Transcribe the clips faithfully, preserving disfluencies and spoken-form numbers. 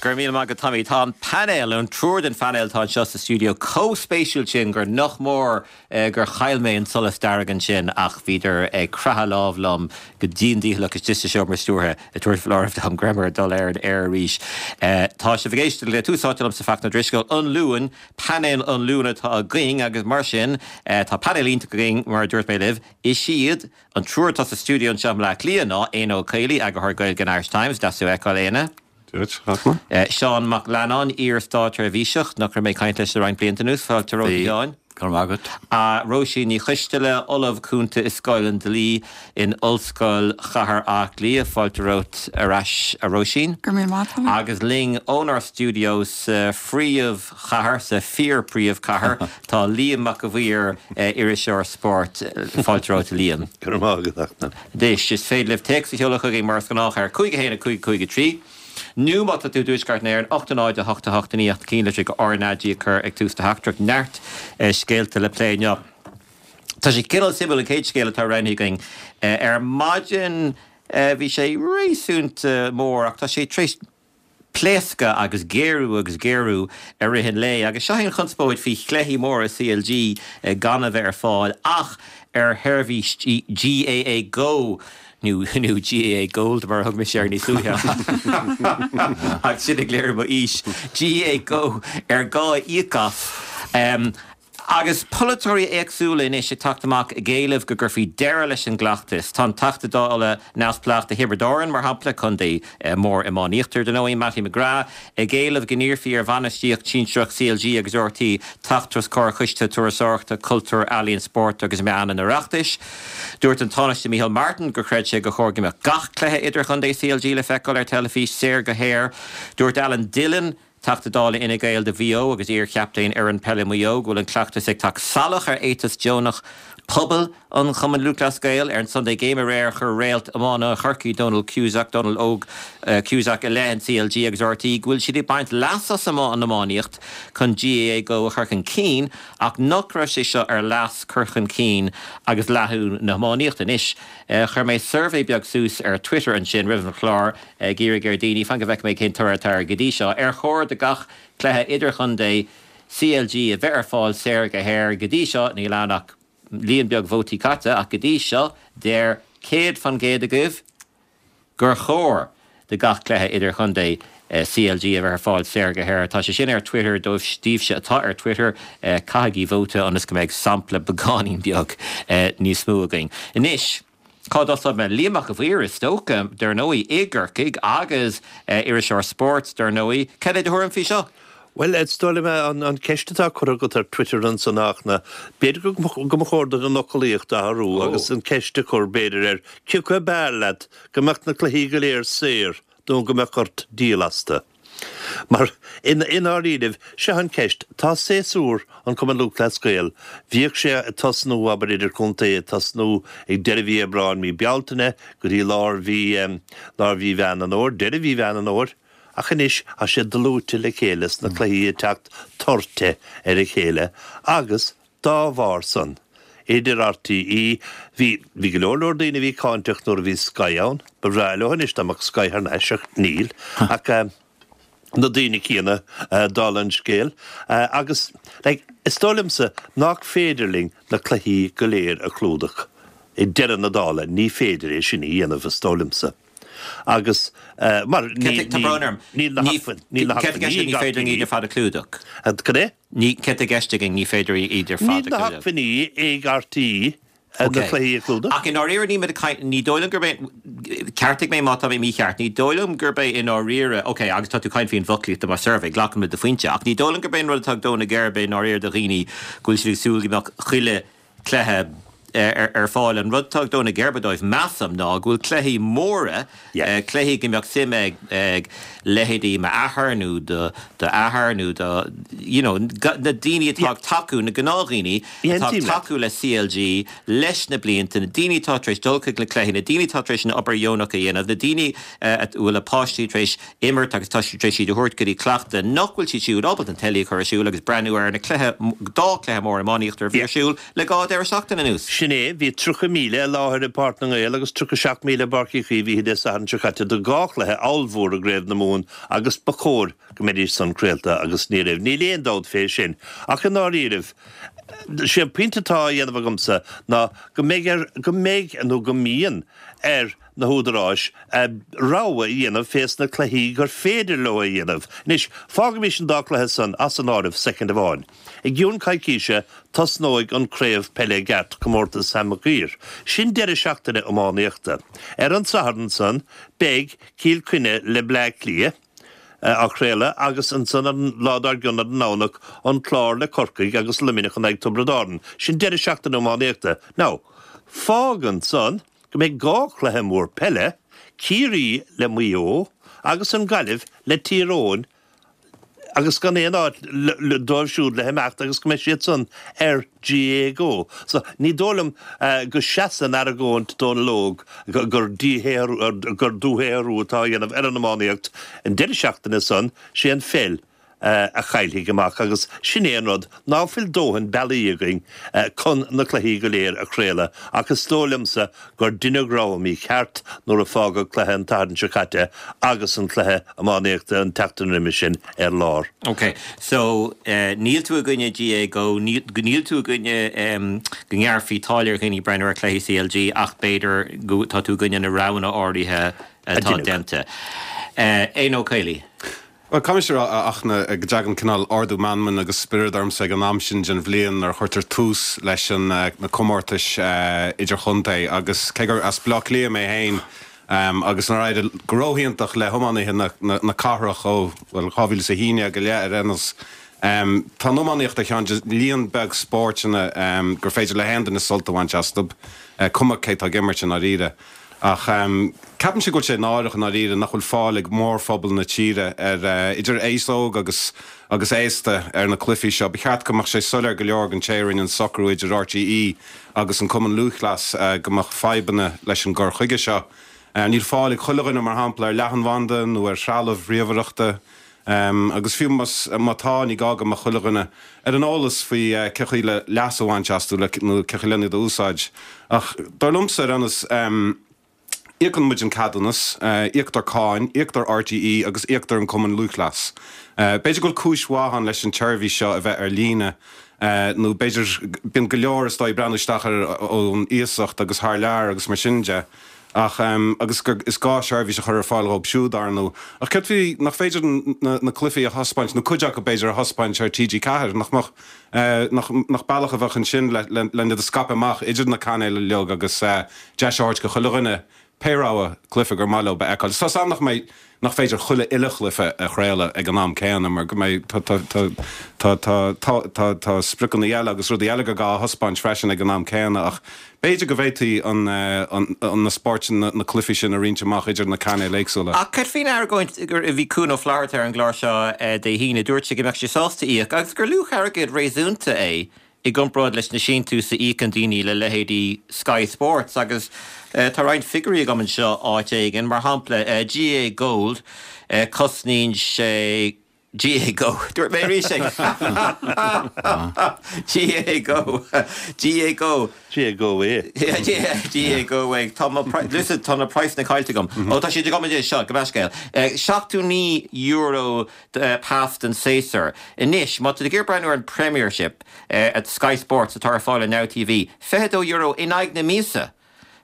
Go raibh míle maith agat Tommy tá an painéal an triúr den phainéal atá anseo sa stiúideo chomh spéisiúil sin gur nach mór eh, gur chaill mé an solas dearg ansin ach bhíodar ag croitheadh lámh liom go dian dícheallach istigh sa seomra stiúrtha ag tabhairt foláireamh dom go rabhamar ag dul ar an aer arís. Eh, tá sibh ag éisteacht le Tús Áite liomsa Fachtna Ó Drisceoil an Luan, painéal an Luain atá againn agus mar sin eh, tá painéal iontach againn mar a dúirt mé libh is iad an triúr atá sa stiúideo anseo i mBaile Átha Cliath ná Éanna Ó Caollaí eagarthóir Gaeilge an Irish Times, deas tú a fheiceáil Éanna. Uh, Seán Mac Leannáin iar-státseirbhíseach nach raibh mé ag caint leis le roinnt blianta anuas fáilte romhat Sheáin. Go raibh maith agat. A Róisín Ní Choisteala Ollamh Cúnta i Scoil an Dlí in Ollscoil Chathair Átha Cliath fáilte romhat ar ais a Róisín. Go raibh maith Agus linn ónár stiúideo sa phríomhchathair sa fíor-phríomhchathair tá Liam Mac a' Mhaoir iriseoir spóirt fáilte romhat Liam. Go raibh maith agat. Anois is féidir libh téacs a sheoladh chugainn mar is gnách ar cúig a haon a cúig cúig a trí. Nó má tá tú i dtuaisceart na hÉireann ocht náid a hocht a hocht naoi ach cinn le go RnaG a chur ag tús do theachtaireacht neart scéalta le plé inniu. Tá sé cineál suimiúil an chéad scéal atá roinnte againn ar maidin bhí sé réasúnta mór ach tá sé tar éis pléascadh agus géarú agus géarú i rith an lae, agus seo an chonspóid faoi chluichí móra CLG gan a bheith ar fáil ach ar sheirbhís GAA Go nó nó GAA Gold mar thug mise air níos luaithe ach sin ag léiriú m'aois GAA Go ar gá íoc as. Um, Agus polaiteoirí éagsúla anois ag teacht amach ag éileamh go gcuirfí deireadh leis an gcleachtas. Tá an Teachta Dála neamhspleách do Thiobraid Árann mar shampla contae mór iománaíochta dar ndóigh Mattie McGrath ag éileamh go n-iarrfaí ar bhainistíocht sinsearach CLG agus RTÉ teacht os comhair Choiste Turasóireachta, Cultúr, Ealaíon, Spóirt agus Meán an Oireachtais. Dúirt an Tánaiste Micheál Martin gur chreid sé gur chóir go mbeadh gach cluiche idirchontae CLG le feiceáil ar teilifís saor go haer. Dúirt Alan Dillon, Teachta Dála Fhine Gael do Mhaigh Eo agus iar-chaptaen ar an peile Maigh Eo go bhfuil an cleachtas ag teacht salach ar éiteas deonach pobal an Chumann Lúthchleas Gael ar an Sunday Game aréir chuir réalt iomána Chorcaí Donald Cusack Donald Óg uh, Cusack i leith an CLG agus RTÉ go bhfuil siad ag baint leas as an iománaíocht chun GAA Go a chur chun cinn ach nach raibh sé seo ar leas cur chun cinn agus leathadh na hiománaíochta anois. Uh, chuir mé suirbhé beag suas ar Twitter ansin roimh an chlár ag iarraidh ar dhaoine fan go bhfeicfidh mé cén toradh atá go dtí seo ar chóir do gach cluiche idirchontae CLG a bheith ar fáil saor go haer go dtí seo níl ann ach líon beag vótaí caite ach go dtí seo deir céad faoin gcéad agaibh gur chóir do gach cluiche idirchontae CLG a bheith ar fáil saor go haer. Tá sé sin ar Twitter dóibh daoibhse atá ar Twitter caithigí vóta ionas go mbeidh sampla beagáinín beag níos mó againn. Anois, Cá dtosóidh mé Liam Mac a' Mhaoir is dócha dar ndóigh i gCorcaigh agus iriseoir spóirt dar ndóigh, Cad é do thuairim faoi seo? Well is dóigh liom an an ceist atá curtha agat ar Twitter ansan ach na b'fhéidir go mba chóir duit an fhoclaíocht a athrú agus an ceist a chur b'fhéidir ar cé acu ab fhearr leat go mbeadh na cluichí go léir saor nó go mbeadh ort díol astu. Mar in i ndáiríribh seo an ceist tá séasúr an Cumann Lúthchleas Gael bhíodh sé ag tosnú abair idir contae ag tosnú ag deireadh mhí Aibreáin mí Bealtaine go dtí lár mhí lár mhí Mheán an Fhómhair deireadh mhí Mheán an Fhómhair ach anois tá sé dlúite le chéile sna cluichí ag teacht toirte ar a chéile agus dá bharr san idir RTÉ bhí bhí go leor leor daoine bhí cáinteach nuair a bhí Sky ann ba bhreá leo anois dá mbeadh Sky thar n-ais ach níl ach na daoine céanna dála an scéil agus like, is dóigh liomsa nach féidir linn na cluichí go léir a chlúdach i deireadh na dála ní féidir é sin a dhéanamh is dóigh liomsa. Agus mar ní níl na níl na ní féidir iad ar fad a chlúdach. Cad é? Ní cad atá i gceist againn ní féidir iad ar fad Níl na hacmhainní ag RTÉ na cluichí a chlúdach. Ach i ndáiríre ní ní dóigh liom gurb é ceartaigh mé má tá mé mícheart, ní dóigh liom gurb é i ndáiríre, ok, agus tá tú ag caint faoin bhfoclaíocht mar suirbhé, glacaim le do phointe, ach ní dóigh liom gurb é an rud atá ag dó na geirbe i ndáiríre do dhaoine go bhfuil siad ag súil go mbeadh chuile chluiche ar fáil. An rud atá ag dó na geirbe dóibh measaim ná go bhfuil cluichí móra, cluichí go mbeadh suim ag ag leithéidí m'athair nó do d'athair nó do you know, na daoine atá ag tacú na gnáthdhaoine atá ag tacú le CLG leis na blianta, na daoine atá tar éis dul chuig na cluichí, na daoine atá tar éis an obair dheonach a dhéanamh, na daoine a bhfuil a bpáistí tar éis imirt agus tá siad tar éis iad a thabhairt go dtí cleachtadh nach bhfuil siad siúd ábalta an teilí a chur ar siúl agus breathnú ar na cluiche dá cluiche mór iománaíochta a bhí ar siúl le dhá deireadh seachtaine anuas. Sin Sin é, bhí tríocha míle i láthair i bPáirc na nGael agus tríocha seacht míle i bPáirc Uí Chaoimh oíche Dé Sathairn seo caite do dhá chluiche ollmhór i gCraobh na Mumhan agus ba chóir go mbeidís san craolta agus ní raibh. Níl aon dabht fé sin. Ach i ndáiríribh, sé an pointe atá á dhéanamh agamsa ná go mbeidh ar, go mbeidh nó go mbíonn ar na húdaráis rogha a dhéanamh fés na cluichí gur féidir leo a dhéanamh. Anois, fágaimis an dá chluiche san as an áireamh soicind amháin. I gcionn coicíse, tosnóidh an craobh peile i gceart, Comórtas Sam Mac Uidhir. Sin deireadh seachtaine iománaíochta. Ar an Satharn san, beidh Cill Chainnigh le Bleá Cliath á chraoladh agus ansan an lá dár gcionn ar an nDomhnach, an Clár le Corcaigh agus Luimneach in aghaidh Tiobraid Árann. Sin deireadh seachtaine iománaíochta. Now, fágann san go mbeidh dhá chluiche mór peile, Ciarraí le Maigh Eo agus an Ghaillimh le Tír Eoghain, agus gan aon áit dóibh siúd le himeacht agus go mbeidh siad san ar GAA Go. So, ní dóigh liom go seasann argóint Dónal Óg gur gur dúshaothrú atá á dhéanamh ar an iománaíocht an deireadh seachtaine san, sé an pheil a chaillfidh amach agus sin é an rud, ná fuil dóthain bealaí againn chun na cluichí go léir a chraoladh ach is dóigh liomsa gur deineadh rogha mícheart nuair a fágadh cluiche an tSathairn seo caite agus an cluiche iománaíochta an tseachtain roimhe sin ar lár. Ok, so níl tú i gcoinne GAA Go, níl tú i gcoinne go ngearrfaí táille ar dhaoine breathnú ar chluichí CLG ach b'fhéidir go tá tú i gcoinne na roghanna áirithe atá déanta. Éanna Ó Caollaí. Bhuel, caithfidh mise a rá, a Fhachtna, go dtagann cineál ardú meanman agus spioraid ormsa ag an am sin den bhliain nuair a chuirtear tús leis na comórtais idirchontae agus cé gur as Baile Átha Cliath mé féin agus nár éirigh go róhiontach le hiománaithe na cathrach ó, bhuel, dhá mhíle is a haon déag i leith ar aon nós, tá an iománaíocht ar cheann de líon beag spóirteanna gur féidir le haon duine sult a bhaint astu, cuma cé tá ag imirt i ndáiríre. Ach ceapaimse go bhfuil sé náireach i ndáiríre nach bhfuil fáil ag mórphobal na tíre ar, idir aos óg agus agus aosta, ar na cluichí seo. Ba cheart go mbeadh sé soiléir go leor don té a rinne an socrú idir RTÉ agus an Cumann Lúthchleas go mbeadh fadhbanna leis an gcur chuige seo. Níl fáil ag chuile dhuine, mar shampla, ar leathanbhanda nó ar threalamh ríomhaireachta. Agus fiú má tá, ní gá go mbeadh chuile dhuine ar an eolas faoi cé chaoi le leas a bhaint astu nó cé chaoi len iad a úsáid. Ach dar liomsa, ar aon nós, íocann muid an ceadúnas, íoctar cáin, íoctar RTÉ agus íoctar an Cumann Lúthchleas. B'fhéidir go bhfuil cúis mhaith ann leis an tseirbhís seo a bheith ar líne, nó b'fhéidir, bíonn go leor is dóigh ag breathnú isteach air ón iasacht agus thar lear agus mar sin de. Ach, agus gur, is gá seirbhís a chur ar fáil dhóibh siúd, ar ndóigh. Ach céard faoi, nach féidir na cluichí a thaispeáint, nó cuid acu, b'fhéidir, a thaispeáint ar TG Ceathair? Nach mbeadh, nach, nach bealach a bheadh ansin le, le, len iad a scaipeadh amach idir na cainéil uilig agus deis a thabhairt go chuile dhuine pé rogha cluiche gur maith leo a fheiceáil. Tá 's a'm nach mbeidh, nach féidir chuile uile chluiche a chraoladh ag an am céanna mar go mbeidh, tá, tá, tá, tá, tá, tá, tá, tá spriocanna eile agus rudaí eile gur gá a thaispeáint freisin ag an am céanna ach b'fhéidir go bhféadfaí an, an, an, na spóirt, na, na cluichí sin a roinnt amach idir na cainéil éagsúla. Ach cad faoin argóint gur, bhí Cuan Ó Flatharta ar an gclár seo Dé hAoine, dúirt sé go mbeadh sé sásta íoc agus gur luach airgid réasúnta é i gcomparáid leis na síntiúis a íocann daoine le leithéidí Sky Sports agus tá roinnt figiúirí agam anseo áit éigin, mar shampla GAA Gold, cosnaíonn sé GAA Go, dúirt mé arís é! GAA Go, GAA Go. GAA Go é. GAA Go é. Tá mo, listen, tá na praghsanna caillte agam. Ó tá siad agam anois, seo, gabh mo leithscéal. Seachtó naoi euro pas don séasúr. Anois, má tá tú ag iarraidh breathnú ar an Premiership at Sky Sports atá ar fáil ar Now TV, fiche dó euro in aghaidh na míosa!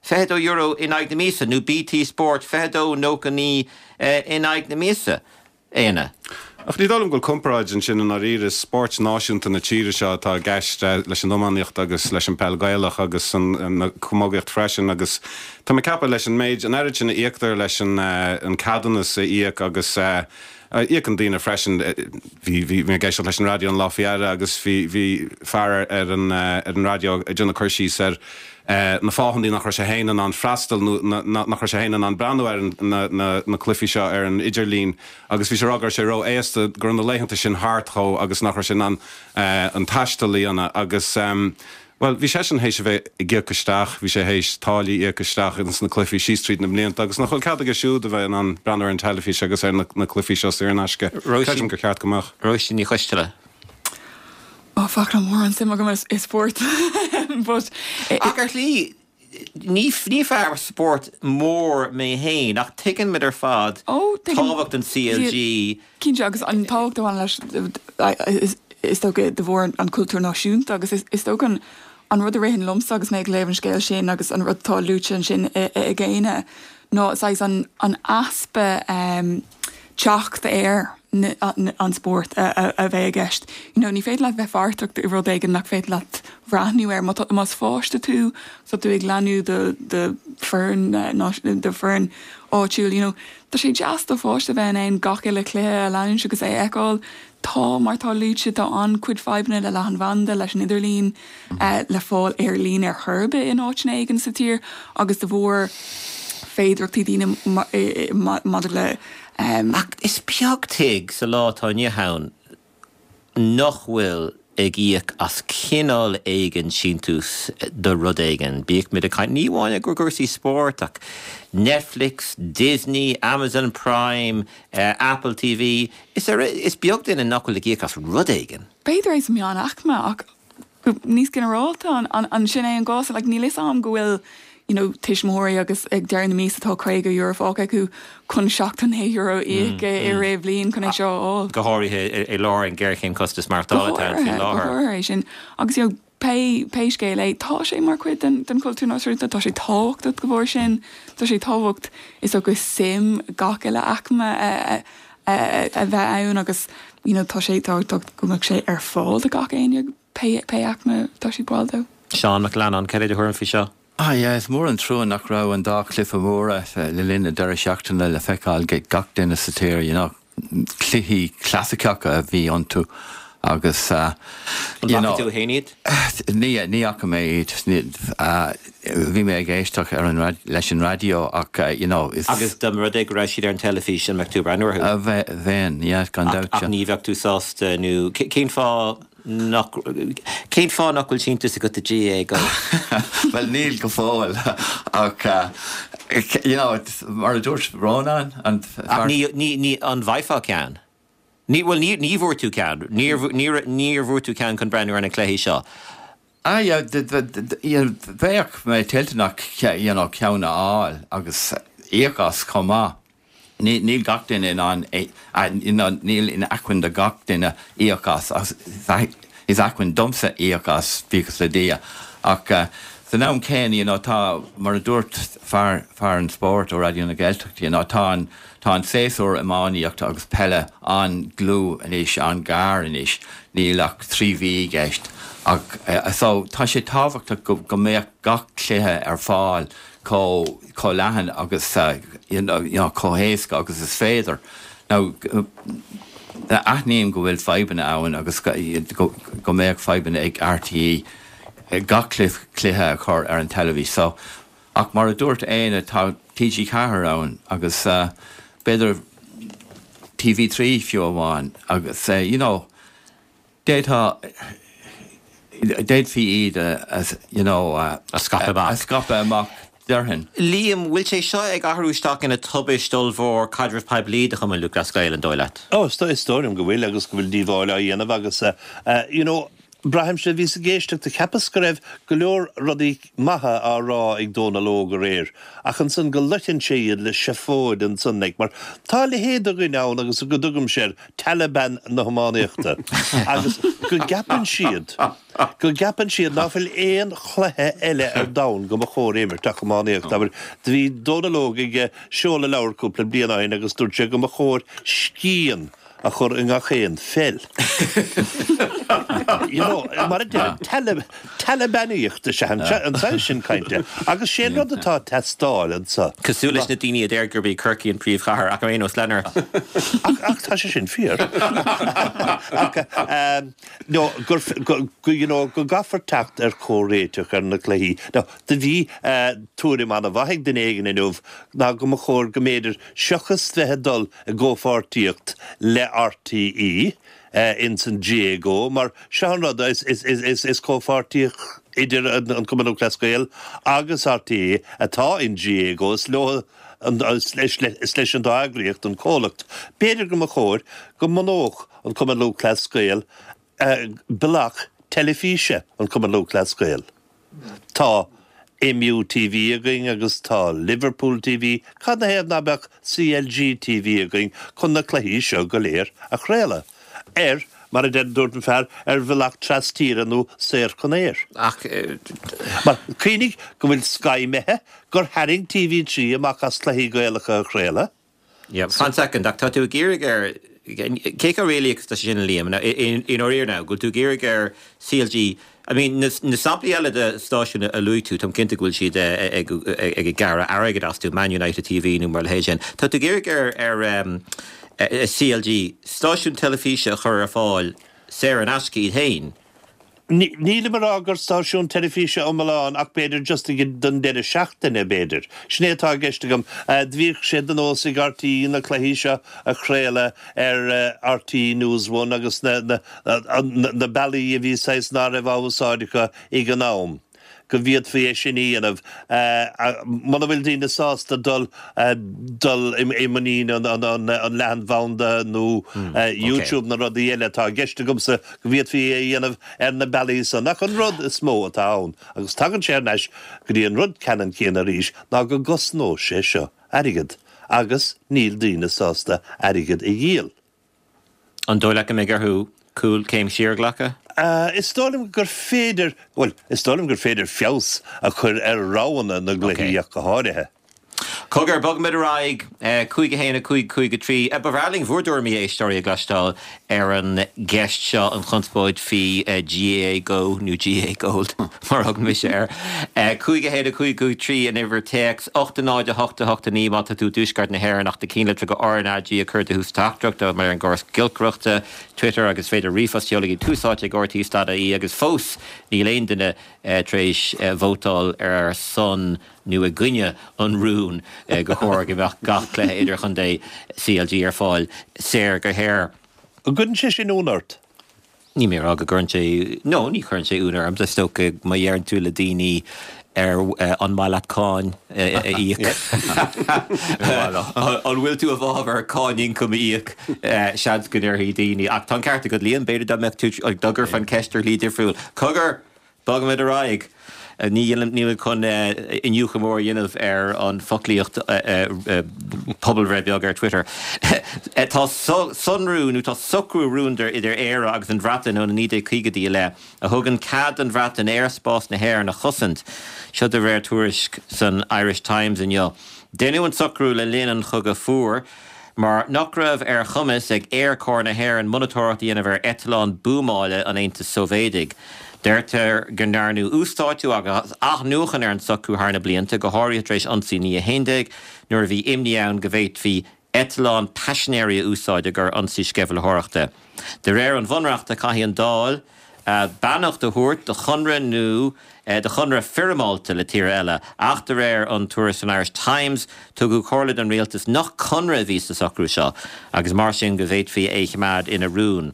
Fiche dó euro in aghaidh na míosa, nó BT Sport, fiche dó nócha naoi in aghaidh na míosa. Éanna. Ach ní dóigh liom go bhfuil comparáid ansin i ndáiríre. Is spóirt náisiúnta na tíre seo atá i gceist leis an iománaíocht agus leis an peil Gaelach agus an chamógaíocht freisin agus tá mé ag ceapadh leis an méid, an oiread sin a íoctar leis an ceadúnas a íoc agus íocann daoine freisin. Bhí, bhí mé ag éisteacht leis an raidió an lá faoi dheireadh agus bhí, bhí fear ar an, ar an raidió ag déanamh cur síos ar na fáthanna nach raibh sé féin in ann freastal nó nach raibh sé féin in ann breathnú ar na, na, na cluichí seo ar an idirlíon agus bhí sé ag rá go raibh sé ró-aosta, go raibh na laethanta sin thart dhó agus nach raibh sé in ann an taisteal a dhéanamh agus. Bhuel, bhí seisean théis a bheith ag íoc isteach, bhí sé théis táillí a íoc isteach ins na cluichí síos tríd na mblianta agus nach bhfuil cead aige siúd a bheith in ann breathnú ar an teilifís agus ar na cluichí seo saor in aisce? Creidim gur cheart go mbeadh. Róisín Ní Choisteala. Ó, Fachtna, mórán suim agam i spórt But Ach ar shlí ní ní fear spóirt mór mé féin ach tuigeann muid ar fad Ó, tuigeann- tábhacht an CLG Cinnte agus an tábhacht a bhaineann leis is dócha de bharr an cultúr náisiúnta agus is is dócha an an rud a ritheann liomsa agus mé ag léamh an scéal sin agus an rud atá luaite ansin ag Éanna ná saghas an an easpa um, teacht ar an spórt a, a, a bheith i gceist. You know, ní féidir leat bheith páirteach i rud éigin nach féidir leat breathnú air más páiste tú so tú ag leanúint do do fhoireann do fhoireann áitiúil, you know, Tá sé deas do pháiste bheith in ann gach uile chluiche a leanúint agus é a fheiceáil tá mar tá luaite tá an-chuid fadhbanna le leathanbhanda leis an idirlíon uh, le fáil ar líne ar chor ar bith in áiteanna éigin sa tír agus de bharr féidearthachtaí daoine maidir le um, Ach is beag tigh sa lá atá inniu ann nach bhfuil ag íoc as cineál éigin síntiús do rud éigin. Bíodh muid ag caint ní amháin gur cúrsaí spóirt ach Netflix, Disney, Amazon Prime, uh, Apple TV, is, ar, is beag duine nach bhfuil ag íoc as rud éigin. B'fhéidir é sa meánaicme ach níos ginearálta an, an, an sin é an gás like, níl fhios a'm go bhfuil you know, tuismitheoirí agus ag deireadh na míosa tá caoga euro fágtha acu chun seachtó naoi euro íoc i rith bliain chun é seo á. Go háirithe i lár an géarchéim costas maireachtála faoi láthair. é sin agus you know, pé pé scéal é tá sé mar chuid den, den cultúr náisiúnta tá sé tábhachtach go bhór sin tá sé tábhacht is agus suim gach uile aicme a, a, a bheith ann agus you know, tá sé tábhachtach go mbeadh sé ar fáil do gach éinne pé pé aicme tá siad ball dó. Seán Mac Leannáin cad é do thuairim faoi seo? Ah yeah, is mór an trua nach raibh an dá chluiche móra le linn na deireadh seachtaine le feiceáil ag gach duine sa tír, you know, cluichí clasaiceacha a bhí iontu agus uh, you know, tú féin iad? Ní ní fhaca mé iad bhí mé ag éisteacht ar an leis an raidió ach uh, you know, is agus dá mba rud é go raibh siad ar an teilifís an mbeadh tú breathnú orthu? Bheinn yeah, gan dabht. Ach ní bheadh tú sásta nó cén fáth nach cén fáth nach bhfuil síntiús agat do GAA go? Well níl go fóill ach uh, you know, mar a dúirt Rónán an ní ní ní an bhfaighfeá ceann. Ní bhfuil ní ní bhfuair tú ceann, níor bhfuair tú ceann chun breathnú ar na cluichí seo. Ah bheadh mé toilteanach ceann a fháil agus íoc as chomh maith. Níl gach duine in ann níl in acmhainn do gach duine íoc as is acmhainn domsa íoc as buíochas le Dia ach san am céanna tá mar a dúirt fear fear an spóirt ó Raidió na Gaeltachta you know, tá an tá an séasúr iománaíochta agus peile an-dlúth anois an-ghar anois níl ach trí mhí i gceist ach so tá sé tábhachtach go go mbeadh gach cluiche ar fáil chomh chomh leathan agus uh, you know, you know, chomh héasca agus is féidir. Now aithním go bhfuil fadhbanna ann agus go, go mbeadh fadhbanna ag RTÉ gach cluiche a chur ar an teilifís. So ach mar a dúirt Éanna tá TG Ceathair ann agus uh, b'fhéidir TV trí fiú amháin agus uh, you know, d'fhéadfá d'fhéadfaí iad as you know uh, a scaipeadh amach a scaipeadh amach déarfainn. Liam bhfuil sé seo ag athrú isteach ina tubaiste ollmhór caidreamh poiblí do Chumann Lúthchleas Gael an dóigh leat. Ó is dóigh liom go bhfuil agus go bhfuil díobháil á dhéanamh agus uh, uh, you know, Braithimse bhíos ag éisteacht cheapas go raibh go leor rudaí maithe á rá ag Dónal Óg aréir, ach ansan go loiteann sé iad le seafóid ansan ag mar tá leithéid de dhuine ann agus go dtugaim air Taliban na hiománaíochta agus go gceapann siad go gceapann siad nach bhfuil aon chluiche eile ar domhan go mba chóir imirt ach iománaíocht aber bhí Dónal Óg ag seoladh leabhar cúpla bliain ó shin agus dúirt sé go mba chóir scian a chur i ngach aon pheil. You know, mar a Talibanaíocht is ea an saghas sin cainte, agus sé rud atá ag teastáil anseo. Cosúil leis na daoine a deir gurb í Corcaigh an príomhchathair ach ar aon nós lean ort. Ach tá sé sin fíor. Ach no gur go you know, go gcaithfear teacht ar chomhréiteach ar na cluichí. No, do bhí uh, tuairim an-mhaith ag duine éigin inniu ná go mba chóir go mb'fhéidir seachas bheith ag dul i gcomhpháirtíocht le RTÉ uh, ins an GAAGO mar seo an rud is, is, is, is, is comhpháirtíocht idir an, an Cumann Lúthchleas Gael agus RTÉ atá in GAAGO is leo an, is, leis, is leis an dá eagraíocht an comhlacht. B'fhéidir go mba chóir go mbunódh an Cumann Lúthchleas Gael uh, bealach teilifíse an Cumann Lúthchleas Gael. Tá MU TV againn agus tá Liverpool TV, cad 'na thaobh ná beadh CLG TV againn chun na cluichí seo go léir a chraoladh? Ar, mar a deir dúirt an fear, ar bhealach trastíre nó saor chun aeir. Ach. Mar cuimhnigh go bhfuil Sky imithe, gur tharraing TV trí amach as cluichí Gaelacha a chraoladh. Yeah, fan second, ach tá tú ag iarraidh ar, cé chomh réalaíoch is atá sé sin a Liam, i ndáiríre now, go bhfuil tú ag iarraidh ar CLG, I mean, na samplaí eile de stáisiúin a luaigh tú, táim cinnte go bhfuil siad ag ag gearradh airgid astu, Man United TV nó mar a leithéid sin. Tá tú ag iarraidh ar ar CLG stáisiún teilifíse a chur ar fáil saor in aisce iad féin. Nílim ag rá gur stáisiún teilifíse iomlán ach b'fhéidir just don deireadh seachtaine, b'fhéidir. Sin é atá i gceist agam. Bhíodh sé de nós ag RTÉ na cluichí seo a chraoladh ar RTÉ News One agus na na bealaí a bhí saghas ná raibh á úsáid acu ag an am. go bhféadfaí é sin a dhéanamh muna bhfuil daoine sásta dul dul i muinín an leathanbhanda nó YouTube na rudaí eile atá i gceist agamsa go bhféadfaí é a dhéanamh ar na bealaí san. Ach an rud is mó atá ann, agus tagann sé ar ais go dtí an rud ceannann céanna arís, ná go gcosnódh sé seo airgead agus níl daoine sásta airgead a dhíol. An dóigh leat go mbeidh orthu cúl céim siar a ghlacadh? Is dóigh liom gur féidir, bhuel, is dóigh liom gur féidir feabhas a chur ar roghanna na gcluichí ach go háirithe. Cogar, bogfaimid ar aghaidh. Cúig a haon, a cúig, cúig a trí. Ba bhreá linn bhur dtuairimí, a éisteoirí, a gcloisteáil ar an gceist seo, an chonspóid faoi GAA Go nó GAA Gold, mar a thugann mise air. Cúig a haon, a cúig, cúig a trí an uimhir téacs, ocht a náid, a hocht, a hocht a naoi má tá tú i dtuaisceart na hÉireann ach do chinnlitreacha RnaG a chur de thús teachtaireachta ar an gcóras giolcaireachta, Twitter agus is féidir ríomhphost a sheoladh ag Tús Áite ag RTÉ dot ie agus fós níl aon duine tar éis vótáil ar son nó i gcoinne an rúin gur chóir go mbeadh gach cluiche idirchontae CLG ar fáil saor go haer. An gcuireann sé sin ionadh ort? Níl mé ag rá go gcuireann sé, no, ní chuireann sé ionadh orm. Is dócha má deireann tú le daoine ar an maith leat cáin a íoc, an bhfuil tú i bhfabhar cáin ioncaim a íoc, seans go ndéarfaidh daoine, ach tá an ceart agat Liam, b'fhéidir dá mbeadh tú, dá gcuirfeá an ceist ar shlí difriúil. Cogar! Bogfaimid ar aghaidh. Ní nílimid chun iniúchadh mór a dhéanamh ar an bhfoclaíocht pobalbhreith beag ar Twitter. Tá sonrú nó tá socrú rúnda idir Éire agus an Bhreatain ó na naoi déag caogaidí i leith a thugann cead don Bhreatain aerspás na hÉireann a chosaint. Seo de réir tuairisc san Irish Times inniu. Deineadh an socrú le linn an Chogaidh Fuair. mar nach raibh ar chumas ag Aerchór na hÉireann monatóireacht a dhéanamh ar eitleáin buamála an Aontais Sóivéadaigh. Deirtear go ndearnadh uasdátú agus athnuachan ar an socrú thar na blianta, go háirithe tar éis ionsaí naoi a haon déag, nuair a bhí imní ann go bhféadfaí eitleáin paisinéirí a úsáid i gcomhair ionsaí sceimhlitheoireachta. De réir an Bhunreachta, caithfidh an Dáil beannacht a thabhairt do chonradh nó do chonradh foirmeálta le tír eile, ach de réir an tuairisc san Irish Times, tugadh comhairle don rialtas nach conradh a bhí sa socrú seo agus mar sin go bhféadfaí é a choimeád ina rún.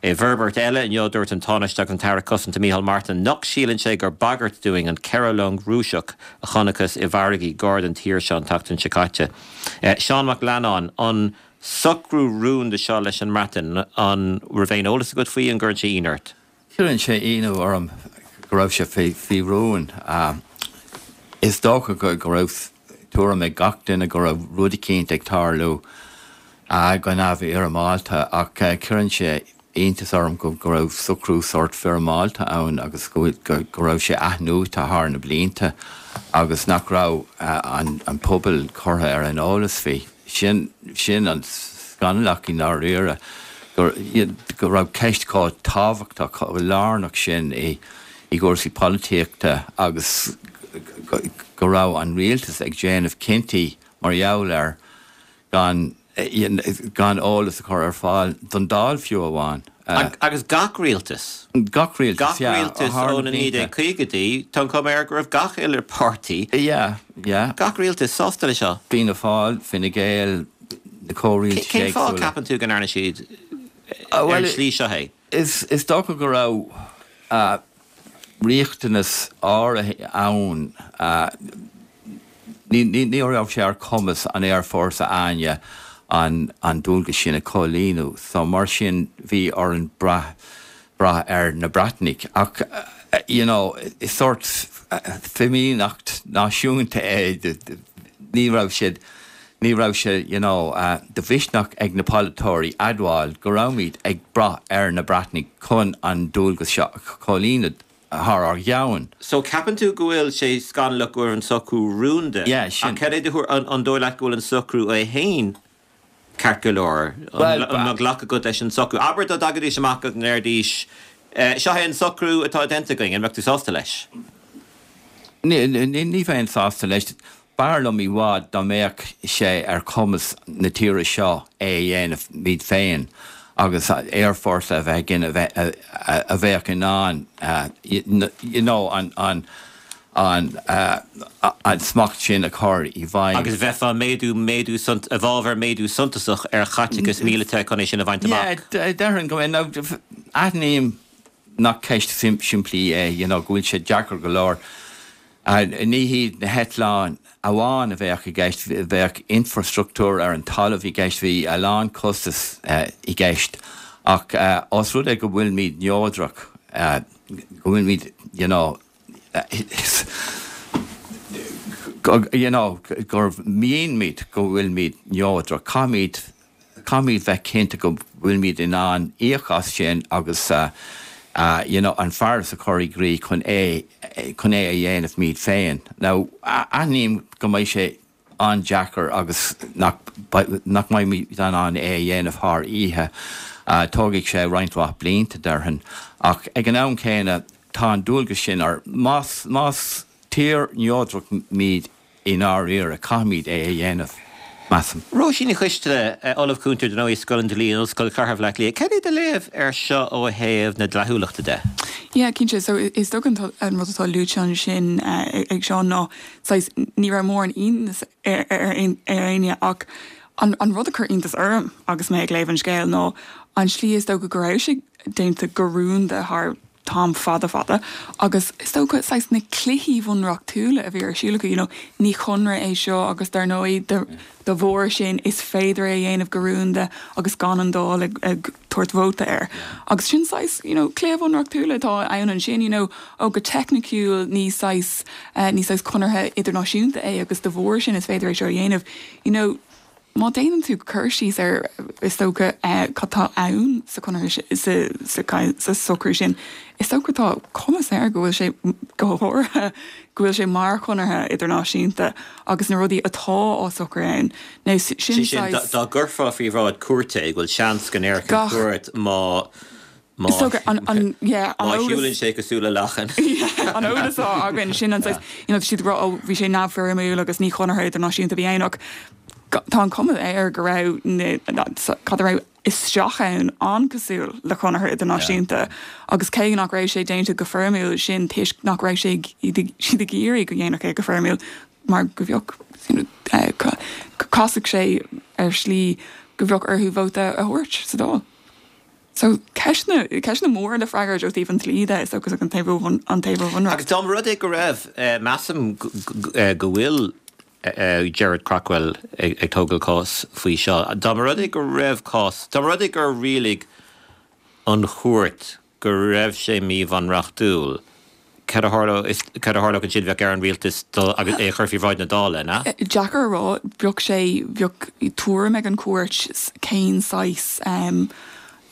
I bhforbairt eile inniu, dúirt an Tánaiste agus an tAire Cosanta Micheál Martin nach síleann sé gur bagairt dúinn an ceithre long Rúiseach a chonacthas i bhfarraigí gar don tír seo an tseachtain seo caite. Seán Mac Leannáin, an socrú rúnda seo leis an mBreatain, an raibh aon eolas agat faoi, an gcuireann sé ionadh ort? Cuireann sé ionadh orm go raibh sé faoi rún. Is dócha go raibh tuairim ag gach duine go raibh rud eicínt ag tarlú go neamhfhoirmeálta ach cuireann sé iontas orm go raibh socrú sórt foirmeálta ann agus go raibh sé athnuaite thar na blianta agus nach raibh an pobal curtha ar an eolas faoi. Sin sin an scannalach i ndáiríre, go raibh ceist chomh tábhachtach, chomh lárnach sin i gcúrsaí polaitíochta agus go raibh an rialtas ag déanamh cinntí mar gheall air gan gan eolas a chur ar fáil don Dáil fiú amháin. Agus gach rialtas. Gach rialtas, Gach rialtas ó na naoi déag caogaidí, tá an chuma air go raibh gach uile páirtí, Yeah, yeah. gach rialtas sásta leis seo. Fianna Fáil, Fine Gael, na comhrialtais Cén fáth a éagsúla. gceapann tú go ndearna siad ar an Bhuel, tslí seo é? is is dócha go raibh riachtanas áirithe ann. Ní ní raibh sé ar chumas an aerfhórsa againne an an dualgas sin a chomhlíonadh so mar sin bhí orainn brath brath ar na Breatanaigh. Ach you know, is sórt fimíneacht náisiúnta é ní raibh siad ní raibh sé you know, uh, de mhisneach ag na polaiteoirí admháil go raibhimid ag brath ar na Breatanaigh chun an dualgas seo a chomhlíonadh thar ár gceann. So ceapann tú go bhfuil sé scannalach go bhfuil an socrú rúnda. Yeah, sin. Ach cad é do thuairim an, an dóigh leat go bhfuil an socrú é féin ceart go leor? Well, An mbeadh glacadh agat leis an socrú. Abair dá dtagaidís amach agus ndeiridís eh, seo é an socrú atá déanta againn, an mbeadh tú sásta leis? Ní, ní, ní bheinn sásta leis. B'fhearr liom i bhfad dá mbeadh sé ar chumas na tíre seo é a dhéanamh iad féin agus aerfhórsa a bheith againn a bheith a, a bheadh in ann uh, you, you know, an, an, an, uh, an smacht sin a chur i bhfeidhm. Agus bheifeá méadú méadú sunt, i bhfabhar méadú suntasach ar chaiteachas míleata chun é sin a bhaint Yeah, amach. déarfainn go now, aithním nach ceist sim simplí é you know, go bhfuil sé deacair go leor. Uh, ní hiad na heitleáin amháin a bheadh i gceist bheadh infrastruchtúr ar an talamh i gceist bhí a lán costas uh, i gceist ach uh, os rud é go bhfuilimid neodrach uh, go bhfuilimid you know, uh, go, you know, gur maímid go bhfuilimid neodrach caithfimid caithfimid bheith cinnte go bhfuilimid in ann íoc as sin agus uh, uh, you know, an fearas a chur i gcrích chun é chun é a dhéanamh muid féin. Now aithním go mbeidh sé an-deacair agus nach nach mbeimid in ann é a dhéanamh thar oíche. Uh, tógfaidh sé roinnt mhaith blianta déarfainn ach ag an am céanna tá an dualgas sin ar más más tír neodrach muid i ndáiríre caithfimid é a dhéanamh. Measaim. Róisín Ní Choisteala Ollamh Cúnta den Scoil an Dlí Ollscoil Chathair Bhaile Átha Cliath. Cad é do léamh ar seo ó thaobh na dleathúlachta de? Yeah, cinnte so is dócha an rud atá luaite ansin uh, ag Seán ná saghas ní raibh mórán iontas ar ar ar éinne ach an, an rud a chuir iontas orm agus mé ag léamh an scéil ná an slí is dócha go raibh sé déanta go rúnda thar t-am fada fada agus is dócha saghas na cluichí bunreachtúla a bhí ar siúl acu, you know, ní conradh é seo agus dar ndóigh de de bharr sin is féidir é dhéanamh go rúnda agus gan an Dáil ag, ag tabhairt vóta air. Agus sin saghas, you know, cluiche bunreachtúla atá ann ansin, you know, ó go teicniciúil ní saghas uh, ní saghas conartha idirnáisiúnta é agus de bharr sin is féidir é seo a dhéanamh, you know, Má déanann tú cur síos ar is dócha uh, cad tá ann sa chonradh sa, sa, sa socrú sin, is dócha tá cuma air go bhfuil sé go háirithe go bhfuil sé mar chonartha idirnáisiúnta agus na rudaí atá á socrú ann. Now, sin Sin sin dá gcuirfeá faoi bhráid cúirte go bhfuil seans go ndéarfadh Gach- cúirt má má Is dócha an, an, yeah, an má eolas- shiúlann sé cosúil le lachan. an eolas atá againn sin an saghas, you know, siad rá ó bhí sé neamhfhoirmiúil agus ní chonartha idirnáisiúnta bhí ann ach tá an cuma air go raibh cad a raibh isteach ann an-chosúil le conartha idirnáisiúnta agus cé nach raibh sé déanta go foirmiúil sin toisc nach raibh sé siad ag iarraidh go ndéanfadh é go foirmiúil mar go bheadh you know, eh, casfadh sé ar shlí go bheadh orthu vóta a thabhairt sa Dáil. So ceisteanna ceisteanna mór le freagairt ó thaobh an dlí de is agus an taobh an taobh bhunreacht. Agus dá rud é go raibh eh, measaim go bhfuil uh, Gerard Craughwell ag, ag tógáil cás faoi seo. Dá rud é go raibh cás, Dá rud é gur rialaigh an chúirt go raibh sé míbhunreachtúil. Cad a tharlódh ansin bheadh ar an rialtas agus é chur faoi bhráid na Dála na? Deacair a rá bheadh sé bheadh tuairim ag an chúirt cén saghas um,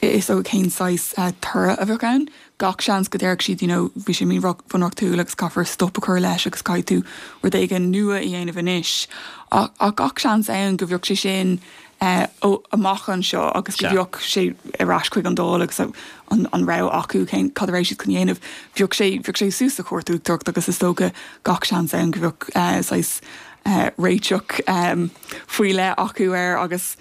is ó cén saghas uh, toradh a bheadh ann. Gach seans go ndéarfadh siad you know, bhí sé míbhunreachtúil agus caithfear stop a chur leis agus caithfidh tú rud éigin nua a dhéanamh anois. Ach, ach gach seans ann go bheadh sé sin uh, ó amach anseo agus go bheadh sé ar ais chuig an Dáil agus an, an rogha acu cén cad a raibh siad chun dhéanamh. Bheadh sé bheadh sé suas sa chúirt uachtarach agus is dócha gach seans ann go bheadh uh, saghas uh, réiteach um, faoi leith acu air agus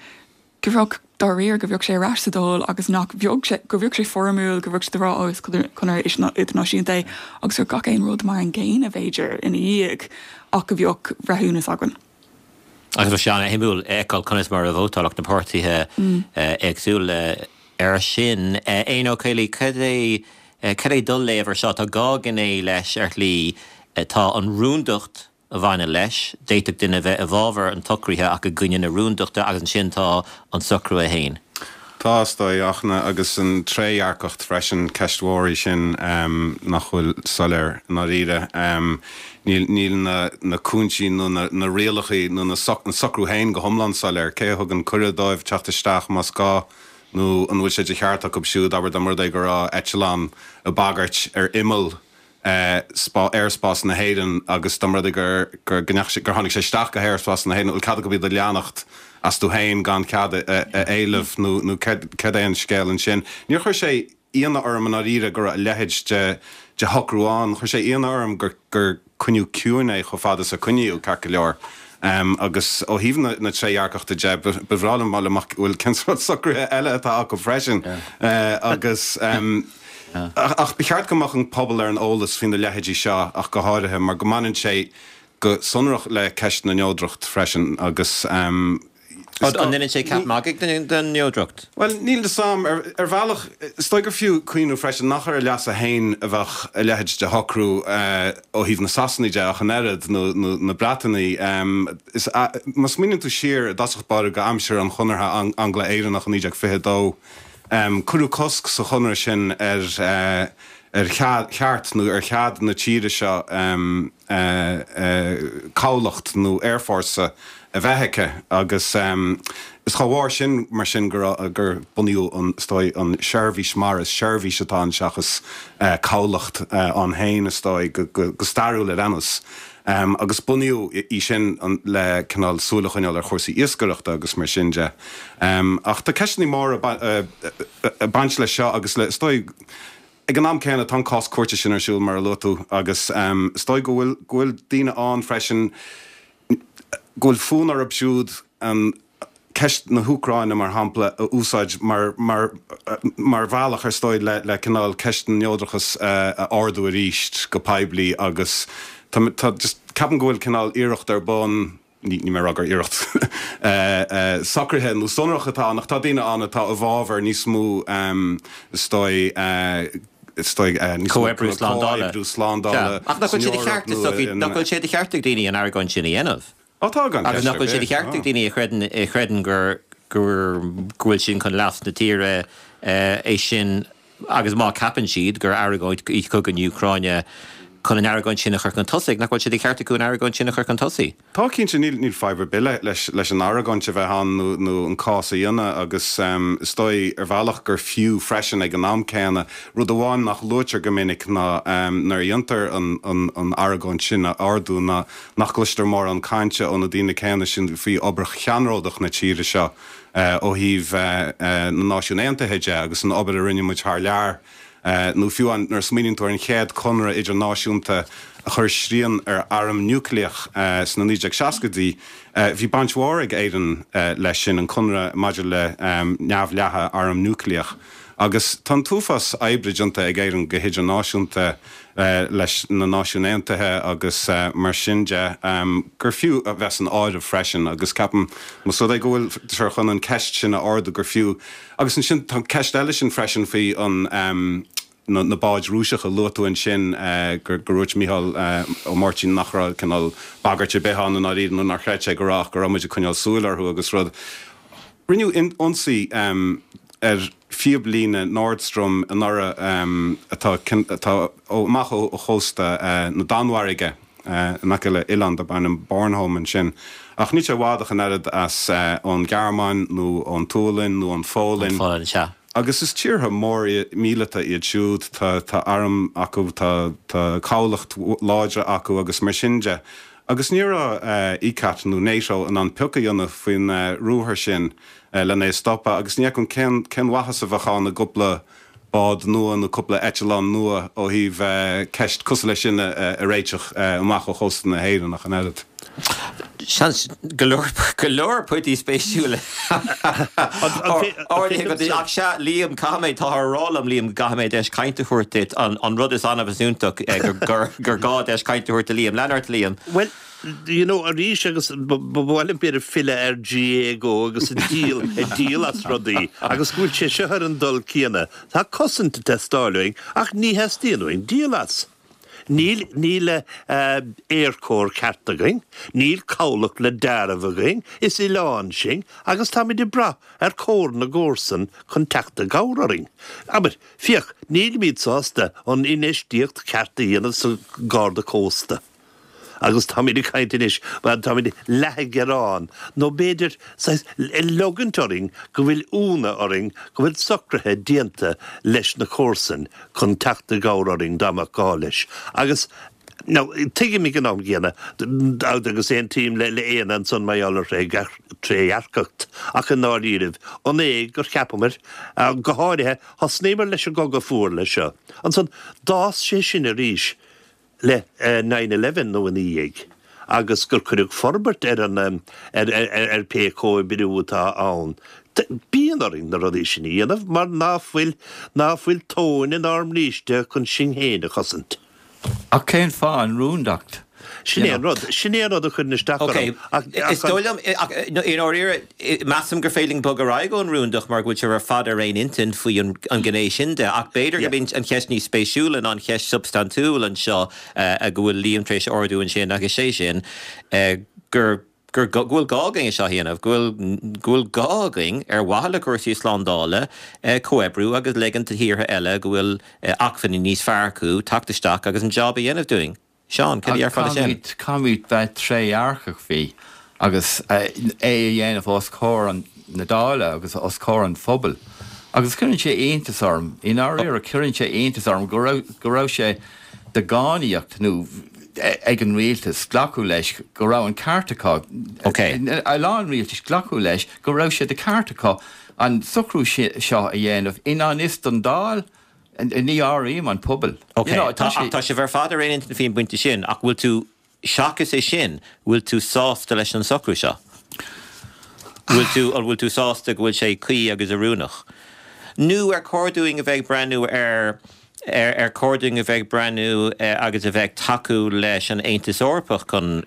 go bheadh dáiríre go bheadh sé ar ais sa Dáil agus nach bheadh sé go bheadh sé foirmiúil go bheadh sé rá agus conradh idirnáisiúnta agus ar gach aon rud mar an gcéanna b'fhéidir ina dhiaidh ach go bheadh breithiúnas againn. Agus sé an-shuimiúil feiceáil conas mar a vótálfadh na páirtithe éagsúla ar sin. Éanna Ó Caollaí cad é cad é do léamh air seo tá dhá ghné leis ar shlí tá an rúndacht a bhaineann leis, d'fhéadfadh duine bheith i bhfabhar an tsocraithe ach i gcoinne na rúndachta agus ansin tá an socrú é féin. Tá, is dóigh, Fhachtna, agus an trédhearcacht freisin, ceist mhór í sin nach bhfuil soiléir i ndáiríre. Níl, níl na, na cúinsí nó na, na rialacha nó na soc, an socrú féin go hiomlán soiléir. Cé a thugann cuireadh dóibh teacht isteach más gá nó an bhfuil sé de cheart acu siúd, abair dá mba rud é go raibh eitleán ag bagairt ar imeall aerspás na hÉireann agus dá mba rud é gur gur gur tháinig sé isteach go haerspás na hÉireann, an bhfuil cead acu iad a leanacht astu féin gan cead a éileamh nó nó céard é an scéal ansin. Níor chuir sé ionadh orm i ndáiríre go raibh a leithéid de de shocrú ann. Chuir sé ionadh orm gur gur coinníodh ciúin é chomh fada is a coinníodh, ceart go leor. Agus ó thaobh na trédhearcachta de, ba bhreá liom fáil amach bhfuil cén sórt socruithe eile atá acu freisin. Agus ach ba cheart go mbeadh an pobal ar an eolas faoi na leithéidí seo ach go háirithe mar go mbaineann sé go sonrach le ceist na neodracht freisin agus An ndéanann sé ceap magaidh den neodracht? Bhuel, níl fhios a'm. Ar bhealach, is dóigh gur fiú cuimhneamh freisin nach ar a leasa féin a bheadh a leithéid de shocrú ó thaobh na Sasanaigh de ach an oiread, nó na Breataine. Má smaoiníonn tú siar i dtosach báire go aimsir an Chonartha Angla-Éireannach i naoi déag fiche a dó, cuireadh cosc sa chonradh sin ar ar cheart nó ar chead na tíre seo cabhlacht nó aerfhórsa a bheith aici agus is dá bharr sin mar sin gur gur bunaíodh an, is dóigh, an tSeirbhís Mara, is seirbhís atá ann seachas cabhlacht ann féin is dóigh, go stairiúil ar aon nós. Agus bunaíodh í sin le cineál súil a choinneáil ar chúrsaí iascaireachta agus mar sin de. Ach tá ceisteanna móra ag baint leis seo agus le, is dóigh, Ag an am céanna, tá an cás cúirte sin ar siúl, mar a luaigh tú, agus is dóigh go bhfuil, go bhfuil daoine ann freisin go bhfuil fonn orthu siúd an ceist na hÚcráine, mar shampla, a úsáid mar, mar, mar bhealach, ar dóigh, le, le cineál ceist na neodrachas a ardú arís go poiblí agus tá, tá, just, ceapaim go bhfuil cineál iarracht ar bun, ní mé a rá gur iarracht socraithe nó sonrach atá ann, ach tá daoine ann atá i bhfabhar níos mó, is dóigh, is dóigh, níos mó Comhoibriú slándála. comhoibriú slándála Ach nach bhfuil san sé de Eoraip cheart, is nó dócha, in. nach bhfuil sé de cheart ag daoine an argóint sin a dhéanamh? Ó tá, gan Agus ceist nach ar bhfuil sé de bith, cheart ag tá. daoine a chreideann, a chreideann gur, gur, go bhfuil sin chun leas na tíre é sin agus má ceapann siad gur argóint í cogadh na hÚcráine chun an argóint sin a chur chun tosaigh, nach bhfuil sé de cheart acu an argóint sin a chur chun tosaigh? Tá, cinnte, níl níl fadhb ar bith le leis leis an argóint a bheith ann nó nó an cás a dhéanamh agus is dóigh ar bhealach gur fiú freisin ag an am céanna. Rud amháin nach luaitear go minic ná nuair a dhéantar an an an argóint sin a ardú ná nach gcloistear mórán cainte ó na daoine céanna sin faoi obair cheannródach na tíre seo ó thaobh na Náisiún Aontaithe de agus an obair a rinne muid thar lear, nó fiú nuair a smaoiníonn tú ar an chéad conradh idirnáisiúnta a chuir srian ar arm núicléach sna naoi déag seascaidí, bhí baint mhór ag Éirinn leis sin, an conradh maidir le neamhleathadh arm núicléach. Agus tá an t-uafás oibre déanta ag Éirinn go hidirnáisiúnta leis na Náisiúin Aontaithe agus mar sin de, gur fiú a bheith san áireamh freisin. Agus ceapaim, más rud é go bhfuiltear chun an ceist sin a ardú, gur fiú. Agus ansin tá an ceist eile sin freisin faoi an na báid Rúiseacha a luaigh tú ansin, gur dhúirt Mícheál Ó Máirtín nach raibh cineál bagairt ar bith ann i ndáiríre nó nár chreid sé go raibh ach go raibh muid ag coinneáil súil orthu agus rud. Rinneadh ionsaí ar phíoblíne Nord Stream anuraidh atá atá amach ó chósta na Danmhairge in aice le oileán darb ainm Bornholm ansin. Ach níl sé i bhfad ach an oiread as ón Ghearmáin nó ón tSualainn nó ón Pholainn. Pholainn, sea. Agus is tíortha mór míleata iad siúd, tá tá arm acu, tá tá cabhlacht láidre acu agus mar sin de. Agus ní raibh ICCAT nó NATO in ann pioc a dhéanamh faoin ruathar sin lena é a stopadh agus ní fheicim cén cén mhaitheas a bheadh ann i gcúpla bád nua nó cúpla eitleán nua ó thaobh ceist cosúil leis sin a réiteach amach ó chósta na hÉireann ach an oiread. Seans go leor go leor pointí spéisiúla ardaithe agat ach sea Liam caithfidh mé táthar a rá liom Liam go gcaithfidh mé deis cainte a thabhairt duit an an rud is annamh is iontach gur gur gá deis cainte a thabhairt do Liam. Lean ort Liam. Bhuel you know arís agus ba mhaith liom b'fhéidir filleadh ar GAAGO agus ag díol ag díol as rudaí agus go bhfuil sé seo ar an dul céanna. Tá cosaint ag teastáil uainn ach ní theastaíonn uainn díol as. Níl níl aerchór ceart againn, níl cabhlach le deáramh againn, is oileán sinn agus táimid ag brath ar chomhar na gcomharsan chun teacht i gcabhair orainn. Abair, féach, nílimid sásta an infheistíocht cheart a dhéanamh sa Gharda Cósta. Agus táimid ag caint anois, bhuel, táimid leath ag gearán, nó b'fhéidir saghas ag leogaint orainn go bhfuil ionadh orainn go bhfuil socruithe déanta leis na comharsain chun teacht i gcabhair orainn dá mbeadh gá leis. Agus now, tuigim ag an am gcéanna, agus aontaím le Éanna ansan mar gheall ar thrédhearcacht, ach i ndáiríribh, an é gur cheapamar, go háirithe, thosnaíomar leis an gCogadh Fuar leis seo, ansan d'fhás sé sin arís le nine eleven nó ina dhiaidh, agus gur cuireadh forbairt ar an, ar pé comhoibriú atá ann. Bíonn orainn na rudaí sin a dhéanamh mar ná fuil, ná fuil tóin inár mbríste chun sinn féin a chosaint. Ach cén fáth an rúndacht? Sin é an rud, sin é an rud a chuireann isteach Ok, orm. Ach, is dóigh liom, ach i ndáiríre, measaim gur féidir linn bogadh ar aghaidh ón rúndacht mar go bhfuil sibh ar fad ar aon intinn faoi an ghné sin de, ach b'fhéidir gurb í an cheist níos spéisiúla ná an cheist shubstaintiúil anseo go bhfuil Liam tar éis a ardú ansin agus sé sin gur gur go bhfuil gá againn é seo a dhéanamh, go bhfuil go bhfuil gá againn ar mhaithe le cúrsaí slándála comhoibriú agus ligean do thíortha eile go bhfuil acmhainní níos fearr acu teacht isteach agus an job a dhéanamh dúinn. Seán, cad a déarfá leis sin? Caithfimid bheith trédhearcach faoi agus é a dhéanamh os comhair na Dála agus os comhair an phobail. Agus cuireann sé iontas orm, i ndáiríre, cuireann sé iontas orm go raibh, go raibh sé de dhánaíocht nó ag an rialtas glacadh leis go raibh an ceart acu, a lán rialtais glacadh leis go raibh sé de cheart acu an socrú seo a dhéanamh i ngan fhios don Dáil. Ní áirím an pobal. Ok, tá, ach tá sibh ar fad ar aon intinn faoin bpointe sin, ach bhfuil tú, seachas é sin, bhfuil tú sásta leis an socrú seo? Bhfuil tú, an bhfuil tú sásta go bhfuil sé cuí agus oiriúnach? Nó ar chóir dúinn a bheith ag breathnú ar, ar, ar chóir dúinn a bheith ag breathnú agus a bheith ag tacú leis an Aontas Eorpach chun